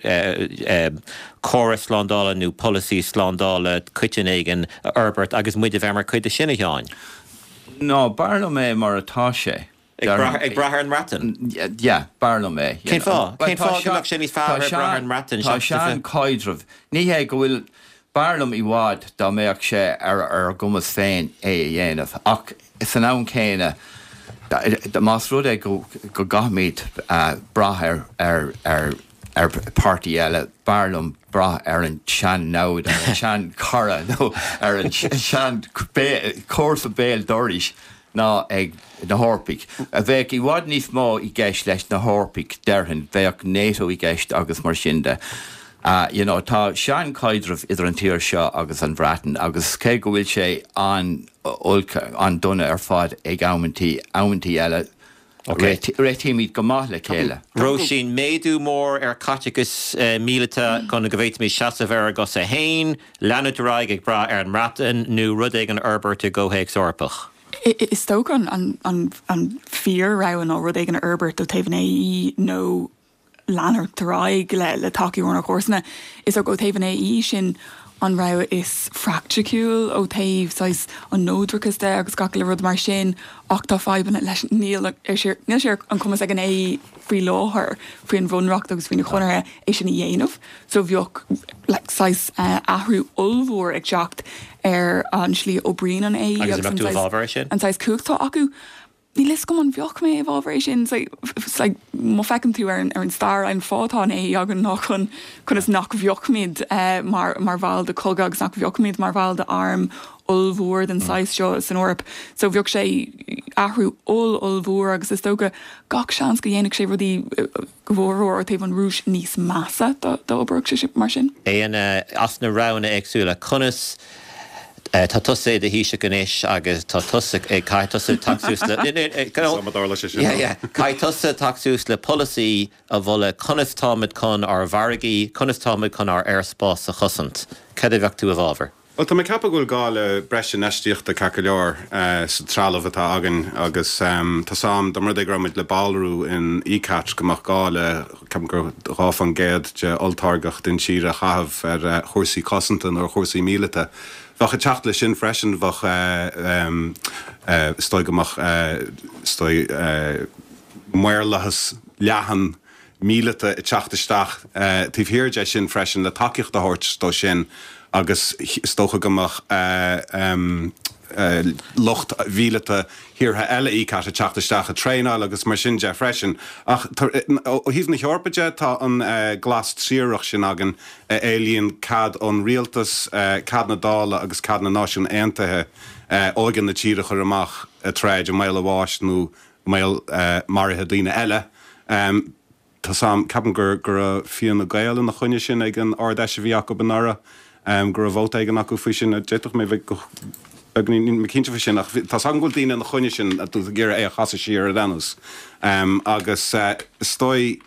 córas slándála nó polasaí slándála coiteann éigin a fhorbairt agus muid a bheith mar chuid de sin, a Sheáin? Ná, b'fhearr liom é mar atá sé. Ag brath, ag brath ar an mBreatain? Yeah, b'fhearr liom é. Cén fáth? Cén fáth go mbeadh sé níos fearr ag brath ar an mBreatain Tá sean-chaidreamh. Ní hé go bhfuil, b'fhearr liom i bhfad dá mbeadh sé ar ár gcumas féin é a dhéanamh, ach san am céanna, más rud é go gcaithfimid brath ar, ar, ar, ar pháirtí eile, b'fhearr liom brath ar an sean-namhaid, ar an sean-chara nó ar an sean-chomharsa béal dorais ná ag na hEorpaigh. Bheadh i bhfad níos mó i gceist leis na hEorpaigh, déarfainn, bheadh NATO i gceist agus mar sin de. You know, tá sean-chaidreamh idir an tír seo agus an Bhreatain agus cé go bhfuil sé an-olc, an-dona ar fad ag amantaí, amantaí eile, Réitímid go maith le chéile. Róisín, Méadú mór ar chaiteachas míleata chun go bhféadfaimis seasamh ar ár gcosa féin, leanúint ar aghaidh ag brath ar an mBreatain nó rud éigin a fhorbairt i gcomhthéacs Eorpach? Is dócha an fíor-rogha ná rud éigin a fhorbairt ó taobh an AE nó leanúint ar aghaidh le tacú ónár gcomharsana. Is dócha ó taobh an AE sin an rogha is phraiticiúil ó thaobh saghas an neodrachas de agus gach uile rud mar sin ach tá fadhbanna leis, níl sé níl sé ar an cumas ag an AE faoi láthair faoin bhunreacht agus faoi na conarthaí é sin a dhéanamh so bheadh like saghas athrú ollmhór ag teacht ar an slí a oibríonn an AE Agus an mbeadh tú i bhfabhar é sin? an saghas cumhacht atá acu. Níl fhios agam an bheadh mé i bhfabhar é sin. Like, má feiceann tú ar an, ar an stair, an fáth atá an AE againn ná chun, conas nach bheadhmuid mar, mar bhall de chogadh agus nach bheadhmuid mar bhall de arm ollmhór den saghas seo san Eoraip. So bheadh sé athrú oll-ollmhór agus is dócha gach seans go dhéanfadh sé rudaí go mhórmhór ó thaobh an Rúis níos measa dá oibreodh sé mar sin. Éanna, as na roghanna éagsúla, conas Tá tusa i do Thaoiseach anois agus tá tusa ag, caithfidh tusa teacht suas le, yeah yeah, caithfidh tusa teacht suas le polasaí a mholadh conas táimid chun ár bhfarraigí, conas táimid chun ár aerspás a chosaint. Cad a bheadh tú i bhfabhar? Bhuel, tá mé ag ceapadh go bhfuil gá le breis infheistíochta ceart go leor sa trealamh atá againn agus tá 's a'm dá mba rud é go raibh muid le ballrú in ECAT go mbeadh gá le, ceapaim gur dhá faoin gcéad de olltáirgeacht intíre a chaitheamh ar chúrsaí cosanta nó ar chúrsaí míleata. Bheadh ag teacht leis sin freisin, bheadh, is dóigh go mbeadh, is dóigh, maorlathas leathan míleata ag teacht isteach taobh thiar de sin freisin le tacaíocht a thabhairt dó sin agus is dócha go mbeadh lucht mhíleata thíortha eile ECAT ag teacht isteach ag traenáil agus mar sin de freisin. Ach ó thaobh na hEorpa de, tá an glas triarach sin againn a éilíonn cead ón rialtas, cead na Dála agus cead na Náisiún Aontaithe óige na tíre a chur amach ag troid i mbaol a bháis nó i mbaol maraithe daoine eile. Tá's a'm, ceapaim gur go raibh Fianna Gael ina choinne sin ag an Ard-Fheis a bhí acu anuraidh, go raibh vóta éigin acu faoi sin. D'fhéadfadh mé bheith beagáinín, níl mé cinnte faoi sin, ach tá's agam go bhfuil daoine ina choinne sin ag iarraidh é a chasadh siar ar aon nós. Agus is dóigh,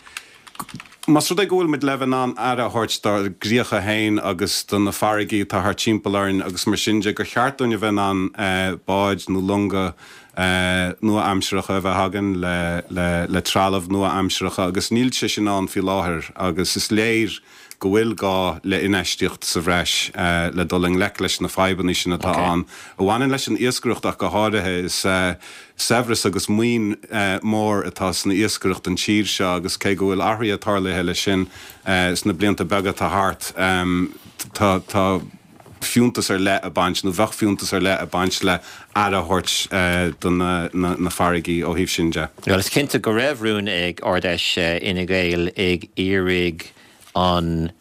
más rud é go bhfuil muid le bheith in ann aire a thabhairt dár gcríocha féin agus do na farraigí atá thart timpeall orainn agus mar sin de, gur cheart dúinn a bheith in ann báid nó longa nua-aimseartha a bheith againn le le trealamh nua-aimseartha agus níl sé sin ann faoi láthair agus is léir go bhfuil gá le infheistíocht sa bhreis le dul i ngleic leis na fadhbanna sin atá ann a bhaineann leis an iascaireacht ach go háirithe. Is saibhreas agus maoin mhór atá san iascaireacht don tír seo agus cé go bhfuil athruithe tarlaithe leis sin sna blianta beaga atá thart, tá tá fiúntas ar leith ag baint, nó bheadh fiúntas ar leith ag baint le aire a thabhairt do na farraigí ó thaobh sin de. Bhuel, is cinnte go raibh rún ag Ard-Fheis Fhine Gael ag iarraidh an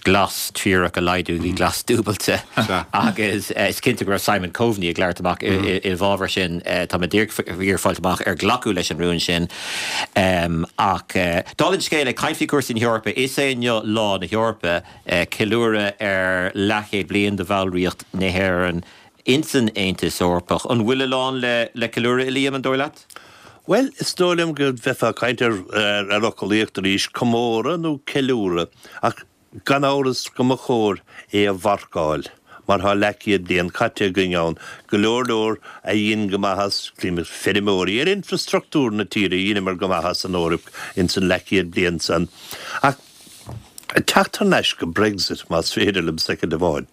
glas triarach a laghdú go dtí glas dúbailte agus is cinnte go raibh Simon Coveney ag labhairt amach i bhfabhar sin. Tá mé díreach ag iarraidh fáilt amach ar glacadh leis an rún sin. Ach dála an scéil, ag caint faoi chúrsaí na hEorpa, is é inniu Lá na hEorpa. Ceiliúradh ar leathchéad bliain de bhallraíocht na hÉireann insan Aontas Eorpach. An bhfuil a lán le ceiliúradh, a Liam, an dóigh leat? Bhuel, is dóigh liom go mbeifeá ag caint ar fhoclaíocht arís, comóradh nó ceiliúradh, ach gan amhras go mba chóir é a mharcáil mar tá leathchéad bliain caite againn ann, go leor leor a dhein go maith as, feirmeoirí, ar infreastruchtúr na tíre, dheineamar go maith as an Eoraip ins an leathchéad bliain san. Ach teacht thar n-ais go Brexit, más féidir liom soicind amháin.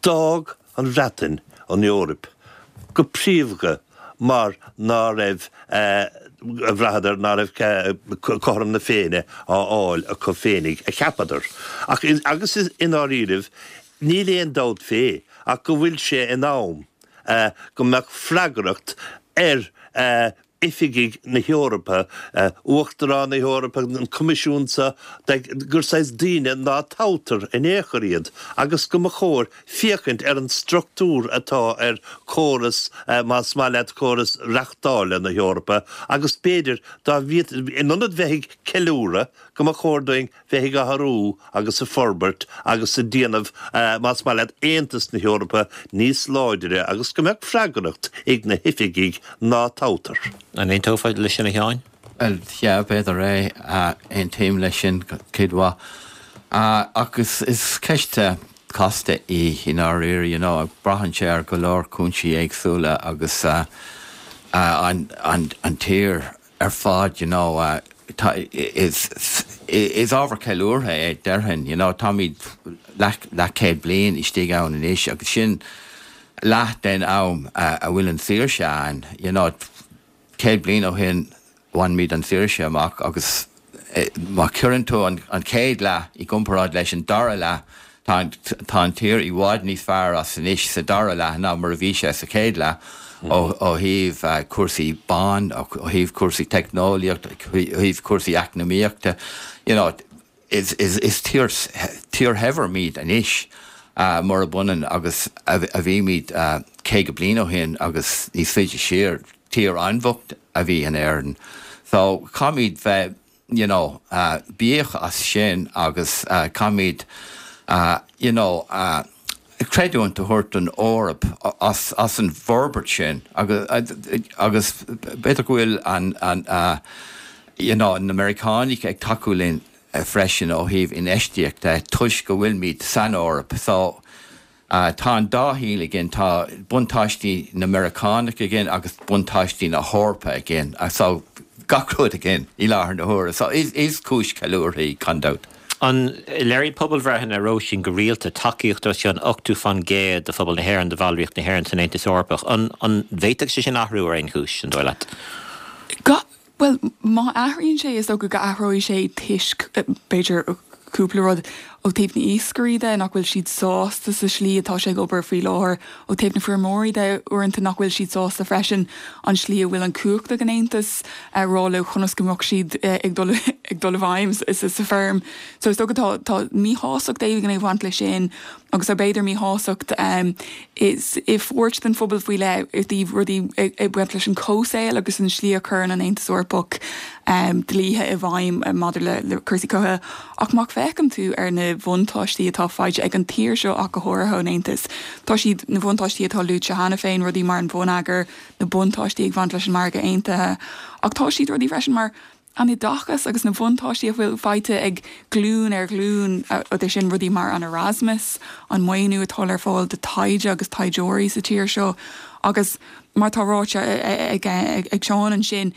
D'fhág an Bhreatain an Eoraip go príomha mar ná raibh, bhraitheadar ná raibh cothrom na Féinne á fháil acu féinig, a cheapadar. Ach, agus i ndáiríribh, níl aon dabht fé ach go bhfuil sé in am go mbeadh freagracht ar oifigigh na hEorpa, Uachtarán na hEorpa, an Coimisiún seo, gur saghas daoine ná toghtar in aon chor iad agus go mba chóir féachaint ar an struchtúr atá ar chóras, más maith leat, córas reachtála na hEorpa agus b'fhéidir dá bhfiat, in ionad bheith ag ceiliúradh, go mba chóir dúinn bheith ag athrú agus ag forbairt agus ag déanamh, más maith leat, Aontas na hEorpa níos láidre agus go mbeadh freagracht ag na hoifigigh ná toghtar. An aontófá leis sin, a Sheáin? Bhuel, yeah, b'fhéidir é. Aontaím leis sin cuid mhaith. Ach is ceist casta í i ndáiríre, you know, braitheann sé ar go leor cúinsí éagsúla agus an tír ar fad, you know, tá, is, is ábhar ceiliúrtha é, déarfainn, you know, táimid leath, leathchéad bliain istigh ann anois agus sin leath den am a bhfuil an tsaoirse ann, you know, céad bliain ó shin bhain muid an tsaoirse amach agus má chuireann tú an chéad leath i gcomparáid leis an dara leath, tá tá an tír i bhfad níos fearr as anois sa dara leath ná mar a bhí sé sa chéad leath ó thaobh cúrsaí ban, ó thaobh cúrsaí teicneolaíochta, ó thaobh cúrsaí eacnamaíochta. You know, is is is tír tír shaibhir muid anois murab ionann agus a bhí muid caoga bliain ó shin agus níos faide siar. Tír an-bhocht a bhí in Éirinn. So caithfimid bheith you know buíoch as sin agus caithfimid you know creidiúint a thabhairt don Eoraip as as an bhforbairt sin agus agus b'fhéidir go bhfuil an an you know na Meiriceánaigh ag tacú linn freisin ó thaobh infheistíochta toisc go bhfuilimid san Eoraip. So Tá an dá shaol againn, tá buntáistí na Meiriceánach againn agus buntáistí na hEorpa againn, so gach rud againn i láthair na huaire. So is is cúis ceiliúrtha í, gan dabht. An léiríonn pobalbhreitheanna, a Róisín, go rialta tacaíocht os cionn ochtó faoin gcéad de phobal na hÉireann do bhallraíocht na hÉireann san Aontas Eorpach. An an bhféadfadh sé sin athrú ar aon chúis, an dóigh leat? Well, má athraíonn sé is dócha go athróidh sé toisc b'fhéidir cúpla rud ó taobh na iascairí de nach bhfuil siad sásta sa slí atá sé ag obair faoi láthair ó taobh na feirmeoirí de uaireanta nach bhfuil siad sásta freisin an slí a bhfuil an cumhacht ag an Aontas a rá leo conas go mbeadh siad ag dul ag dul i bhfeidhm sa feirm. So is dócha tá tá míshástacht éigin ag baint leis sin agus tá b'fhéidir míshástacht um, is i pháirt den phobal faoi leith i dtaobh rudaí ag baint leis an comhshaol agus an slí a chuireann an Aontas Eorpach um, dlíthe i bhfeidhm maidir le, le cúrsaí comhshaoil. Ach má fhéachann tú ar na buntáistí atá faighte ag an tír seo ach go háirithe ón Aontas. Tá siad na buntáistí atá luaite cheana féin rudaí mar an bhonneagar, na buntáistí ag baint leis an margadh aontaithe, ach tá siad rudaí freisin mar an oideachas agus na buntáistí a bhfuil faighte ag glún ar ghlún ó sin rudaí mar an Erasmus, an maoiniú atá ar fáil do taighde agus taighdeoirí sa tír seo, agus mar tá ráite ag ag Seán ansin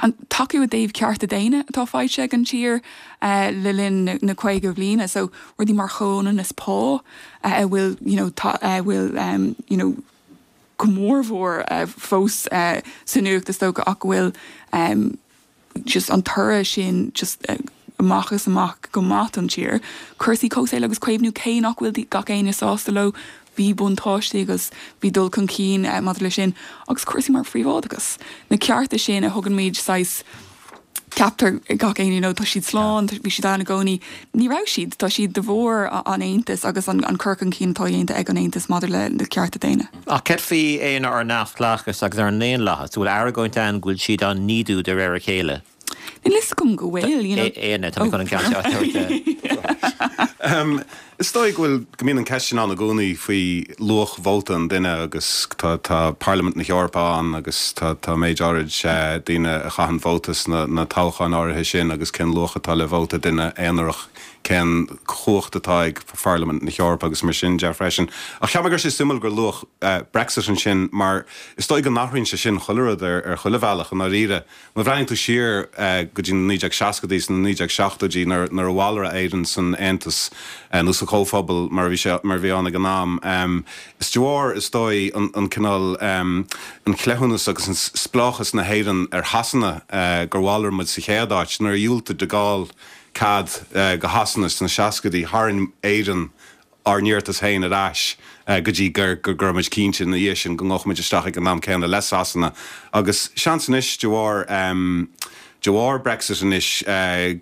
an tacú i dtaobh cearta daonna atá faighte ag an tír le linn na caoga bliana, so rudaí mar chomhionannas pá a bhfuil you know, bhfuil um, you know, go mórmhór uh, fós uh, sa nuacht is dócha ach go bhfuil um, just an toradh sin just uh, amach is amach go maith an tír. Cúrsaí comhshaoil agus caomhnú cé nach bhfuil gach éinne sásta leo bhí buntáistí agus bhí dul chun cinn uh, maidir leis sin agus cúrsaí mar phríobháideachas. Na cearta sin a thugann muid saghas ceaptar gach éinne nó tá siad slán, bhí siad ann i gcónaí ní raibh siad tá siad de bharr an Aontas agus an, an cur chun cinn atá déanta ag an Aontas maidir le na cearta daonna. Ach céard faoi aon ar neamhspleáchas agus ar an ndaonlathas, bhfuil argóint ann go bhfuil siad á n-ídiú de réir a chéile. Níl fhios agam go bhfuil Éanna tá chun an ceann Is dóigh go bhfuil go mbíonn an ceist sin ann i gcónaí faoi luach vóta an duine agus tá tá Parlaimint na hEorpa ann agus tá tá méid áirid daoine a chaitheann vóta sna na toghcháin áirithe sin agus cén luach atá le vóta duine aonarach cén chumhacht atá ag Pharlaimint na hEorpa agus mar sin de freisin. Ach cheap mé gur sé suimiúil gur luadh Brexit ansin mar is dóigh go n-athraíonn sé sin chuile rud ar ar chuile bhealach i ndáiríre. Má bhreathnaíonn tú siar go dtí na naoi déag seascaidí sna naoi déag seachtóidí nuair nuair a bhalraigh Éirinn san Aontas nó sa Chomhphobal mar a bhí sé mar a bhí ann ag an am. Is de bharr is dóigh an an cineál an cleithiúnas agus an spleáchas na hÉireann ar Shasana gur bhalraigh muid sa chéad áit nuair a dhiúltaigh de Gaulle cead go Shasana sna seascaidí tharraing Éirinn ár n-iarratas féin ar ais go dtí gur go raibh muid cinnte ina dhiaidh sin go ngabhfadh muid isteach ag an am céanna le Sasana agus seans anois de bharr de bharr Brexit anois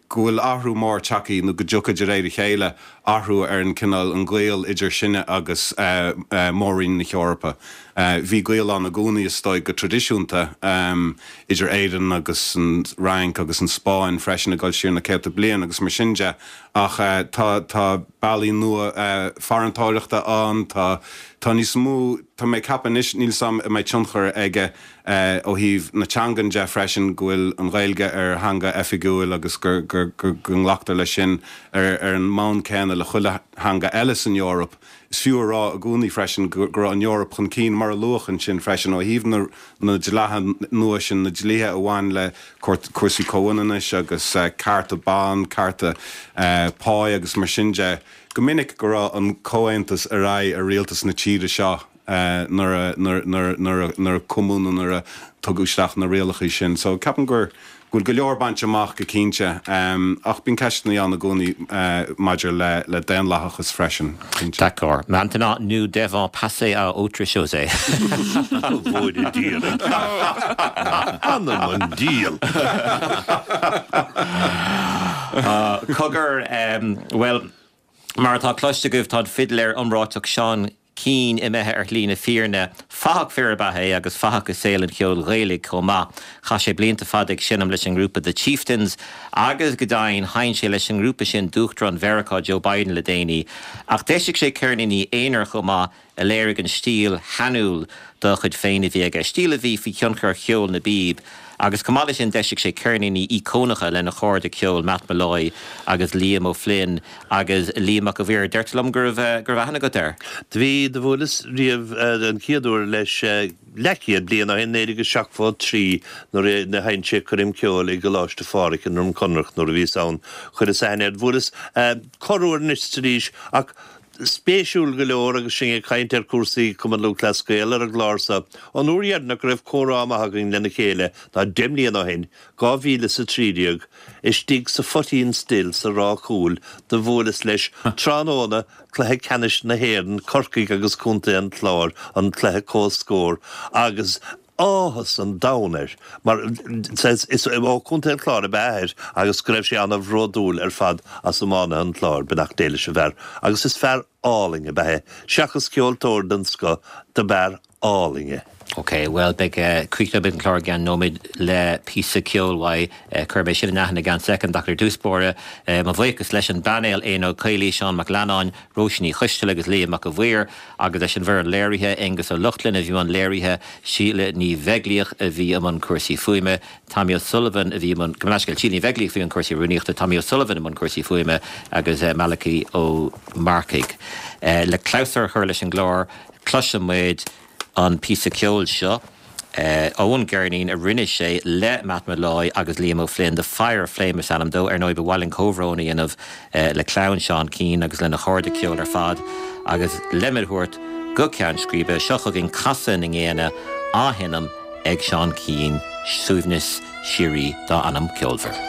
go bhfuil athrú mór tagtha nó go dtiocfaidh de réir a chéile athrú ar an cineál an gaol idir sinne agus Mór-Roinn na hEorpa. Bhí gaol ann i gcónaí is dóigh go traidisiúnta idir Éirinn agus an Fhrainc agus an Spáinn freisin ag dul siar na céadta bliain agus mar sin de ach tá tá bealaí nua farantóireachta ann, tá tá níos mó tá mé ag ceapadh anois níl 's a'm an mbeidh tionchar aige ó thaobh na teangan de freisin go bhfuil an Ghaeilge ar theanga oifigiúil agus gur gur go nglactar leis sin ar ar an mbonn céanna le chuile theanga eile san Eoraip. Is fiú a rá i gcónaí freisin go raibh an Eoraip chun cinn mar a luadh ansin freisin ó thaobh na na dlíthe nua sin, na dlíthe a bhain le cúrsaí comhionannais agus cearta ban, cearta páí agus mar sin de, go minic go raibh an Comhaontas ar aghaidh ar rialtas na tíre seo nuair a nuair a cumadh nó nuair a tugadh isteach na rialacha sin. So ceapaim gur go bhfuil go leor bainte amach go cinnte, ach bíonn ceisteanna ann i gcónaí maidir le le daonlathachas freisin, cinnte. D'accord. Maintenant, nous devons passer à autre chose. Bhuaile Dia Anam an diabhail! Cogar, bhuel, mar atá cloiste agaibh, tá an fidléir iomráiteach Seán Keane imithe ar shlí na fírinne. Fathach fir ab ea é agus fathach i saol an cheoil Ghaelaigh chomh maith. Chaith sé blianta fada ag seinm leis an ngrúpa The Chieftains agus go deimhin sheinn sé leis an ngrúpa sin d'Uachtarán Mheiriceá Joe Biden le déanaí. Ach d'eisigh sé ceirníní aonair chomh maith a léirigh an stíl shainiúil dá chuid féin a bhí aige, stíl a bhí faoi thionchar cheol na bpíob. Agus chomh maith leis sin d'eisigh sé ceirníní íocónacha lena chairde ceoil Matt Molloy agus Liam O'Flynn agus Liam Mac a' Mhaoir. Deirtear liom go raibh go raibh aithne agat air. Do bhí, do bhuaileas riamh an chéad uair leis leathchéad bliain ó shin, naoi déag is seachtó a trí, nuair a sheinn sé coirm ceoil i gColáiste Phádraig i nDroim Conrach nuair a bhíos ann. Chuireas aithne air. Bhuaileas corruair anois is arís ach Spéisiúil go leor agus sinn ag caint ar chúrsaí Cumann Lúthchleas Gael ar an gclár seo, an uair dheireanach go raibh comhrá maith againn lena chéile ná deich mbliana ó shin, dhá mhíle is a trí déag, istigh sa Phoitín Stil sa Ráth Cúil do bhuaileas leis tráthnóna cluiche ceannais na hÉireann, Corcaigh agus Contae an Chláir, an cluiche comhscóir, agus áthas an domhain air mar is ó Chontae an Chláir ab ea a athair agus go raibh sé ana-bhródúil ar fad as iománaithe an Chláir, beannacht Dé leis an bhfear agus is fear álainn ab ea é, seachas ceoltóir den scoth, dob fhear álainn é. Ok, bhuel beidh críochnóidh muid an clár i gceann nóiméad le píosa ceoil uaidh. Cuirfidh mé sin in aithne i gceann soicind ach ar dtús báire, mo bhuíochas leis an bpainéal, Éanna Ó Caollaí, Seán Mac Leannáin, Róisín Ní Choisteala agus Liam Mac a' Mhaoir agus leis an bhfoireann léirithe, Aengus Ó Lochlainn a bhí i mbun léirithe, Síle Ní Bheaglaoich a bhí i mbun cúrsaí fuaime, Tommy O'Sullivan a bhí i mbun, gabh mo leithscéal, Síle Ní Bheaglaoich a bhí i mbun cúrsaí rúnaíochta, Tommy O'Sullivan i mbun cúrsaí fuaime agus Malachy Ó Marcaigh. Le clabhsúr a chur leis an gclár, cloisfidh muid an píosa ceoil seo ón gceirnín a rinne sé le Matt Molloy agus Liam O'Flynn, The Fire Flame is ainm dó. Ar ndóigh, ba mhaith linn comhbhrón a dhéanamh le clann Seán Keane agus lena chairde ceoil ar fad agus le muid a thabhairt go ceann scríbe, seo chugainn Casadh na nGéanna á sheinm ag Seán Keane, suaimhneas síoraí dá anam ceolmhar.